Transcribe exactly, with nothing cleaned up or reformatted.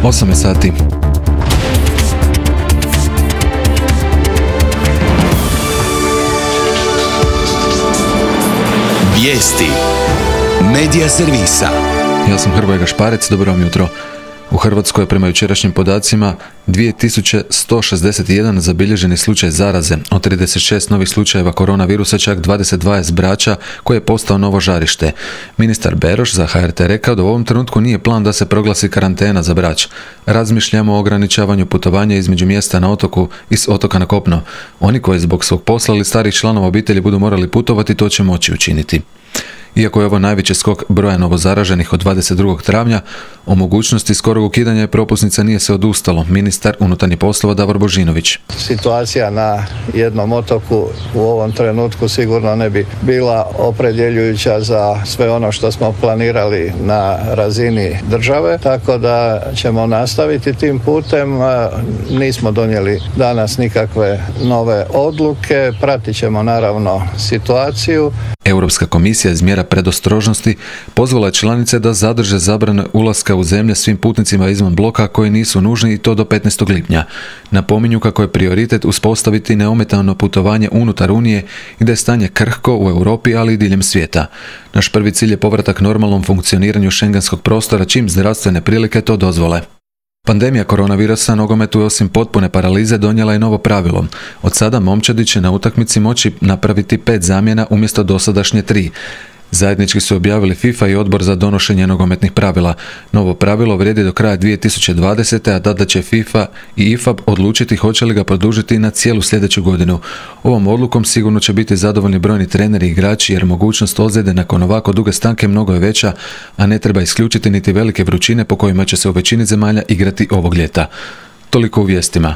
osam je sati. Vijesti Medija servisa. Ja sam Hrvoje Gašparec, dobro vam jutro. U Hrvatskoj je prema jučerašnjim podacima dvije tisuće sto šezdeset jedan zabilježeni slučaj zaraze. Od trideset šest novih slučajeva koronavirusa čak dvadeset dva je s Brača, koje je postao novo žarište. Ministar Beroš za H R T rekao da u ovom trenutku nije plan da se proglasi karantena za Brač. Razmišljamo o ograničavanju putovanja između mjesta na otoku i s otoka na kopno. Oni koji zbog svog posla ili starih članova obitelji budu morali putovati, to će moći učiniti. Iako je ovo najveći skok broja novozaraženih od dvadeset drugog travnja, o mogućnosti skorog ukidanja propusnica nije se odustalo. Ministar unutarnjih poslova Davor Božinović. Situacija na jednom otoku u ovom trenutku sigurno ne bi bila opredjeljujuća za sve ono što smo planirali na razini države, tako da ćemo nastaviti tim putem. Nismo donijeli danas nikakve nove odluke, pratit ćemo naravno situaciju. Europska komisija iz mjera predostrožnosti pozvala je članice da zadrže zabrane ulaska u zemlje svim putnicima izvan bloka koji nisu nužni, i to do petnaestog lipnja. Napominju kako je prioritet uspostaviti neometano putovanje unutar Unije i da je stanje krhko u Europi, ali i diljem svijeta. Naš prvi cilj je povratak normalnom funkcioniranju šengenskog prostora čim zdravstvene prilike to dozvole. Pandemija koronavirusa nogometu je osim potpune paralize donijela i novo pravilo. Od sada momčadi će na utakmici moći napraviti pet zamjena umjesto dosadašnje tri. Zajednički su objavili FIFA i Odbor za donošenje nogometnih pravila. Novo pravilo vrijedi do kraja dvije tisuće dvadesete. a tada će FIFA i I F A B odlučiti hoće li ga produžiti na cijelu sljedeću godinu. Ovom odlukom sigurno će biti zadovoljni brojni treneri i igrači, jer mogućnost ozljede nakon ovako duge stanke mnogo je veća, a ne treba isključiti niti velike vrućine po kojima će se u većini zemalja igrati ovog ljeta. Toliko u vijestima.